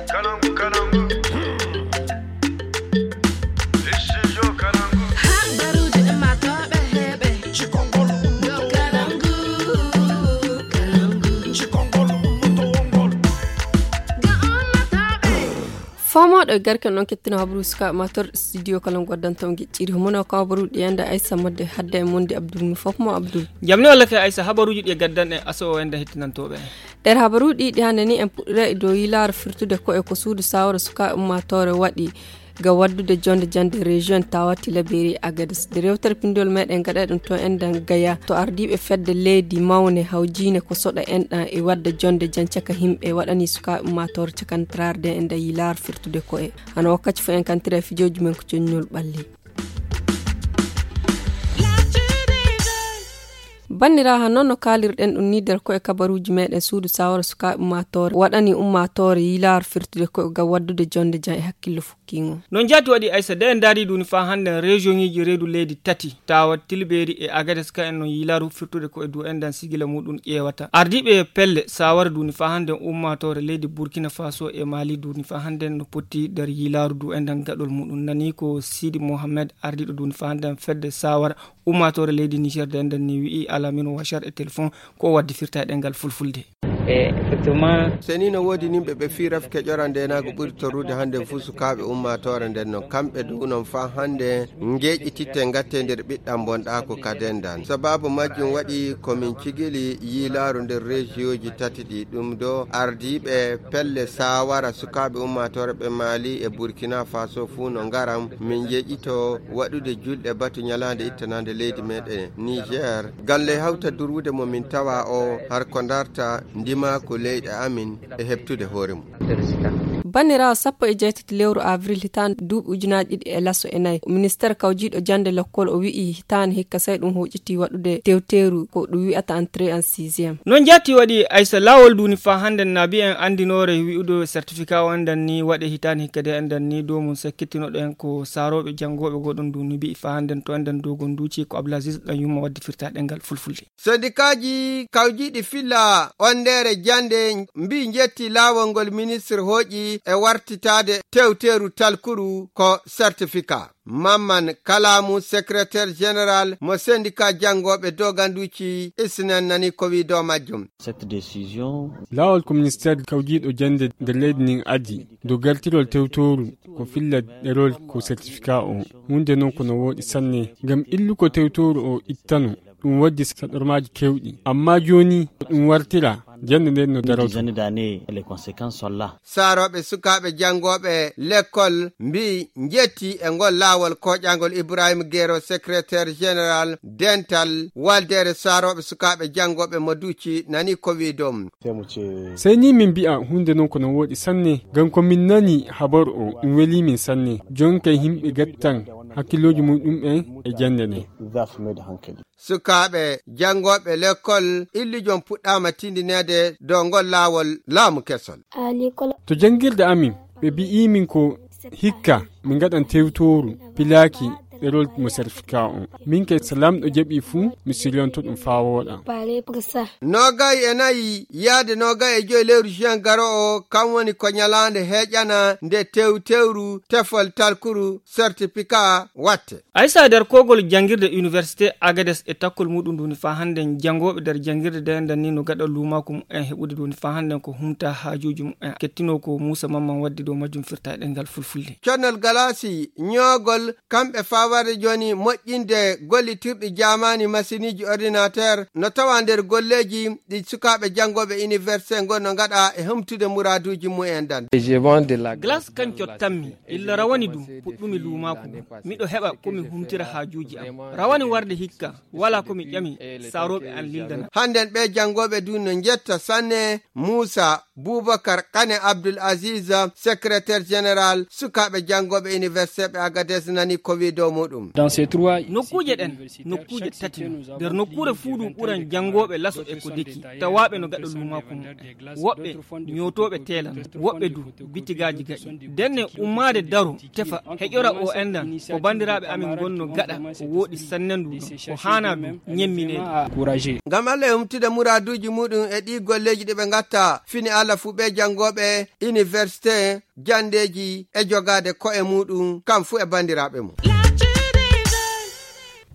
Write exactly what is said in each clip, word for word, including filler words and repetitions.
Kalangu, kalangu. Studio Kalangu. Habaruuji ɗi maa tooɓe heɓe. Cikongol. Yo Kalangu, Kalangu. Cikongol, mutowongol. Ga ummatooɓe. Fomooɗo e garke noon kettino habaru sukaaɓe maa tor studio Kalangu waddanta on gecciri. Homo no ko habaruuji ɗi enda Aissa Modde hadde e Mondi Abdul mi fof mo Abdul. Jamni walla kay Aissa habaruuji ɗi e gaddan en aso o enda hettinantooɓe. Nder habaruuji ɗi hannde ni en puɗɗira e dow yilaare firtude ko e ko suudu sawra sukaaɓe ummaatoore waɗi ga waddude jonde jande région Tawa Tilaberi Agadez. Nde rewtere pinndol meɗen gaɗa ɗum to enɗan Gaya to ardiiɓe fedde leydi mawne hawjiine ko soɗa enɗan e wadda jonde jan caka yimɓe waɗani sukaaɓe ummaatoore cakantararde e nder yilaare firtude ko e hano wakkati fof en kantira e fijooji men ko coññol ɓalli. Banndiraaɓe, noon no kaalirɗen ɗum ni nder ko e kabaruuji meɗen suudu sawara sukaaɓe ummaatoore waɗani ummaatoore yilaar firtude ko e ngam waddude jonde jam e hakkillo fukkiingo. Noon jaati waɗi Aysa de en ndaari ɗum ni faa hannden regionŋiiji reedu leydi tati tawa Tilbeeri e Agades ka en noon yilaru firtude ko e dow enɗan sigila muɗum ƴeewata. Ardiiɓe pelle sawara ɗum ni faa hannden ummaatoore leydi Burkina Faso e Mali ɗum ni faa hannden no potti nder yilaru dow enɗan gaɗol muɗum nani ko Sidi Mohamed ardiiɗo ɗum ni faa hannden fedde sawara ummaatoore leydi Niger de enɗan ni wi'i Alamine Wachar e téléphone ko o waddi firta e ɗemngal fulfulde. E effectivement. Seni no woodi nimɓe ɓe fii rafi keƴora ndenaagu ɓuri torrude hannde fuu sukaaɓe ummaatoore nden no kamɓe dow non faa hannde ngeeƴititte ngatte nder ɓiɗɗam bonɗaako kaden dan. Sababu majjum waɗi ko min cigili yiilaaru nder rejiyoji tati ɗi ɗum do ardiiɓe pelle saawara sukaaɓe ummaatoore ɓe Mali e Burkina Faso fuu no ngaram min njeeƴito waɗude julɗe batu ñalaande ittanande leydi meɗen Niger. Galle hawta durwude mo min tawa o har ko darta ndima ko leyɗe amin e heɓtude hoore mum. Banniraawo sappo e jeetati lewru avril hitaande duuɓi ujunaaji ɗiɗi e laso e nayi, ministeer kawjiiɗo jannde lekkol o wi'i hitaande hikka sey ɗum huuƴiti waɗude tewteeru ko ɗum wi'ata entrée en sixième. Noon jaati waɗi Aysa laawol duuni faa hannden naabi en anndinoore wi'ude certificat o enɗan ni waɗe hitaande hikka de enɗan ni dow mum sakkitinoɗen ko saarooɓe janngooɓe goɗon duuni mbi'i faa hannden to enɗan dow gon duuci ko Abdulaziz ɗan yumma waddi firta ɗemngal fulfulde. Sendikaaji kawjiiɗi filla onndere jannde mbii njetti laawol ngol ministre hooƴi e wartitaade tewteeru talkuru ko certificat. Mamman Kalamu, secrétaire général mo sendika janngooɓe doganduuci isnen nani ko wii dow majjum. Cette décision. Laawol ko ministeer kawjiiɗo jannde nder leydi ndin addi dow gartirol tewtooru ko filla ɗerol ko certificat o. Huunde noon ko no wooɗi sanne ngam illuko tewtooru o ittano. Ɗum waddi saɗormaaji keewɗi. Ammaa jooni ko ɗum wartira jannde nden no daroto. Dizaine d'années, les conséquences sont là. Saarooɓe sukaaɓe janngooɓe lekkol mbii njetti e ngol laawol kooƴaangol Ibrahima Gero, secrétaire général dental waldeere saarooɓe sukaaɓe janngooɓe mo duuci nani ko wii dow. Sey ni min mbi'a huunde non ko no wooɗi sanne, ngam ko min nani habaru o ɗum welii min sanne. Jooni kay yimɓe gattan hakkillooji muɗum'en e jannde nden. Sukaaɓe janngooɓe lekkol illijon puɗɗaama tindineede dow ngol laawol laamu kesol. To janngirde amin ɓe mbi'i min ko hikka min ngaɗan tewtooru pilaaki ɗerol mo certificat on. Min kay so lamɗo jaɓi fuu mi siryanto ɗum faa wooɗa. Noogay e nayi yaade noogay e joy lewru juin garo o kam woni ko ñalaande heeƴana nde tewtewru tefol talkuru certificat watte. Aysa nder kogol janngirde université Agades e takkol muɗum nduni faa hannden janngooɓe nder janngirde nden nden ni no gaɗa luumaaku mumen heɓude nduni faa hannden ko humta haajuuji mumen. Kettino ko Muusa Mamman waddi dow majjum firta e ɗemngal fulfulde. Connol galaasi ñoogol kamɓe faa warde jooni moƴƴinde gollitirɗi jaamaani masiniiji ordinateur no tawa nder golleeji ɗi sukaaɓe janngooɓe université ngon no ngaɗa e humtude muraaduuji mumen ɗan. Glace kan cottanmi illa rawani ɗum puɗɗumi luumaaku. Miɗo heɓa ko mi humtira haajuuji am. Rawani warde hikka, walaa ko mi ƴami, saarooɓe an lildana. Hannden ɓee janngooɓe du no njetta sanne Muusa Buubakar Kane Abdul Aziz, secrétaire général sukaaɓe janngooɓe université ɓe Agades nani ko wii dow Muɗum. Nokkuuje ɗen, nokkuuje tati no. Nder nokkuure fuu ɗum ɓuran janngooɓe laso e ko deki, tawaaɓe no gaɗa luumaaku mum. Woɓɓe ñootooɓe teelan, woɓɓe du bitigaaji gaɗi. Denne ummaade daro, tefa, heƴora o enɗan, ko banndiraaɓe amin ngonno gaɗa, ko wooɗi sanne ndu ɗo, ko haanaa du ñemmineede. Ngam Allah e humtude muraaduuji muɗum e ɗii golleeji ɗi ɓe ngatta, fini Allah fuu ɓe janngooɓe iniwersite, janndeeji e jogaade ko'e muɗum, kam fuu e banndiraaɓe mum.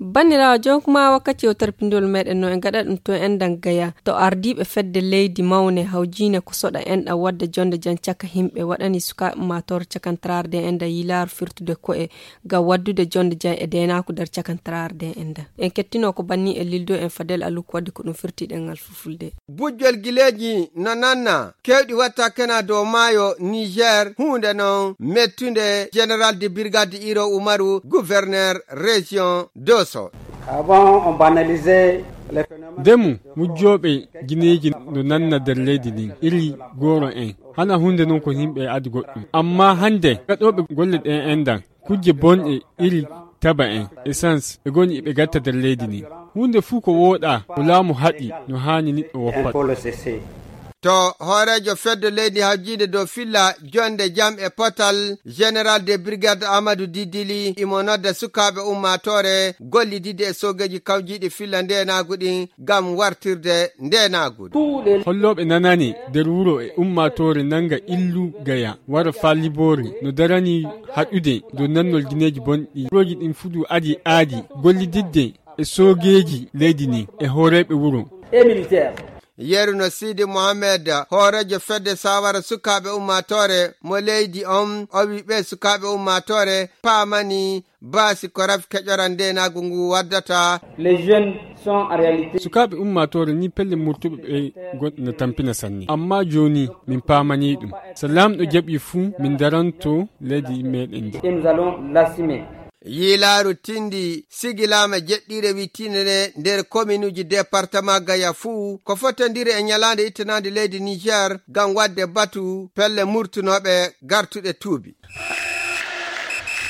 Banndiraawo, jooni kuma wakkati o tarpindiwol meɗen no en gaɗa ɗum to enɗan Gaya. To ardiiɓe fedde leydi mawne hawjiine ko soɗa enɗan wadda jonde jam caka himɓe waɗani sukaaɓe ummaatoore cakantaraare nde enɗan yilaaru firtude ko'e ngam waddude jonde jam e deenaaku nder cakantaraare nde enɗan. En kettino ko banni e lildo en Fadel Aluku wadde ko ɗum firti ɗemngal fulfulde. Bujjol gileeji no nanna, keewɗi watta kena dow maayo Niger, huunde non mettunde. Général de brigade Iro Umaru, gouverneur région Dosso. Avant, on banalisait les phénomènes. Ndemu, mujjooɓe gineeji no nanna nder leydi ndin, iri gooro en. Hana huunde non ko yimɓe adi goɗɗum. Amma hannde, gaɗooɓe golle ɗen enɗan, kujje bonɗe iri taba en, essence, ɓe goni ɓe gatta nder leydi ndin. Huunde fuu ko wooɗaa, ko laamu haɗi, no haani niɗɗo woppata. To hooreejo fedde leydi hawjiinde dow filla, jonde jam e potal, Général de brigade Amadou Didili, imo nodda sukaaɓe ummaatoore gollididde e soogeeji kawjiiɗi filla ndeenaagu ɗin ngam wartirde ndeenaagu. Hollooɓe nanani nder wuro e ummaatoore nanga illu Gaya, wara faa Liboore, no darani haɗude dow nannol gineeji bonɗi. Wurooji ɗin fuu du adi aadi gollididde e soogeeji leydi ndin e hooreeɓe wuro. Yeru no Sidi Mohamed, hooreejo fedde saawara sukaaɓe ummaatoore mo leydi on, o wi ɓe sukaaɓe ummaatoore paamani baasi ko rafi keƴoral ndeenaagu ngu waddata. Les jeunes sont en réalité. Sukaaɓe ummaatoore ni pelle murtuɓe ɓe gon-, no tampina sanne. Amma jooni min paamani ɗum. So Laamɗo jaɓi fuu, min daranto leydi meɗen ndi. Et nous allons l'assumer. Yiilaaru tindi sigilaama jeɗɗiire wittiinde nde nder kominuuji departama Gaya fuu, ko fotondiri e ñalaande ittanaande leydi Niger ngam waɗde batu pelle murtunooɓe gartuɗe tuubi.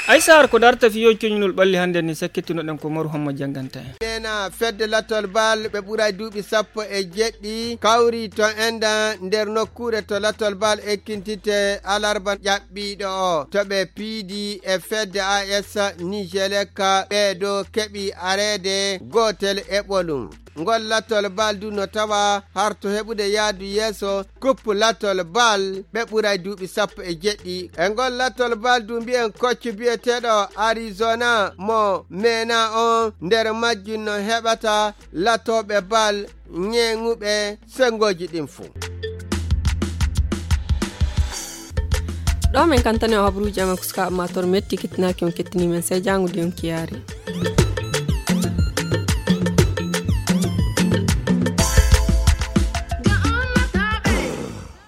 Ay Saar, ko darta fiyo coñnol ɓalli hannde ni sakkitinoɗen ko Maru Hamma jannganta en. Neena fedde Latol Bal ɓe ɓuray duuɓi sappo e jeɗɗi kawri to enɗan nder nokkuure to Latol Bal ekkintitte alarba ƴaɓɓiiɗo o. To ɓe piidi e fedde A S Nijelek, ɓee ɗo keɓi areede gootel e ɓolum. Ngol Latol Bal du no tawa harto heɓude yaadu yeeso kuppu Latol Bal ɓe ɓuray duuɓi sappo e jeɗɗi. E ngol Latol Bal du mbiyen koccu biyeteeɗo Arizona mo meena on nder majjum no heɓata latooɓe bal ñeeŋuɓe senngooji ɗin fuu. Ɗo min kantani o habruuji amen ko sukaaɓe maa toon metti kettinaaki on kettini men sey jaango de on kiyaari.